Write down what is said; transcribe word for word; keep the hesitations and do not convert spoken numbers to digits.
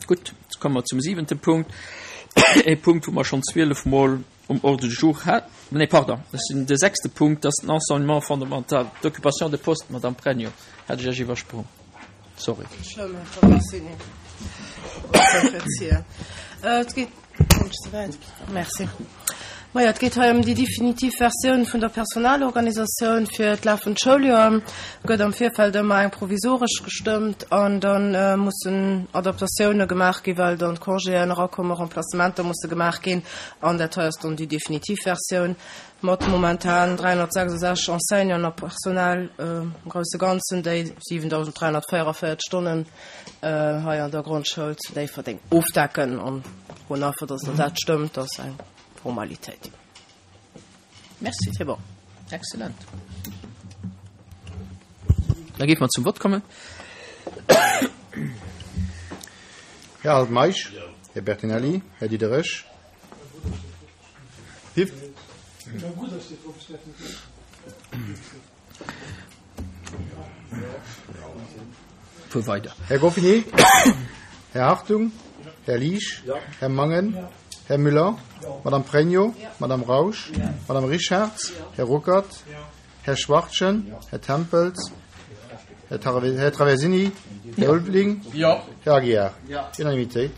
Gutt, jetzt komme mer zum siwente Punkt, e Punkt, wou mer schonn zwielef Mol um Ordre du jour hat. Nee, pardon, dat ass de sechste Punkt, dat ass den Enseignement fondamental, d'Occupation de poste. Madame Pregno, hat ech Iech iwwersprong. Sorry. Schlëmm, Här Traversini. Et geet, merci. Majo, et geet hei ëm déi definitiv Versioun vun der Personalorganisatioun fir d'lafend Schouljoer. Gëtt am Virfeld ëmmer eng provisoresch gestëmmt an da mussen Adaptatioune gemaach ginn, well dann d'Congéen erakommen, Remplacementer musse gemaach ginn. An dat hei ass dann déi definitiv Versioun mat momentan dräihonnertsechsundsechzeg Enseignanten a Personal am grousse Ganzen, déi siwendausend dräihonnertvéierunvéierzeg Stonnen hei an der Grondschoul zu Déifferdeng ofdecken. An froen einfach, dass Der dat stëmmt, dat ass eng Formalitéit. Merci. C'est bon. Excellent. Da géife mer zum Vott kommen. Här Altmeisch? Här Bertinelli? Här Diderich? Hief. Fuer weider. Här Goffinet? Här Hartung? Här Liesch? Här Mangen? Här Müller? Madame Pregno? Madame Rausch? Madame Richarz? Här Ruckert? Här Schwachtgen? Här Tempels? Här Traversini? Här Ulveling? Här Aguiar? Unanimitéit.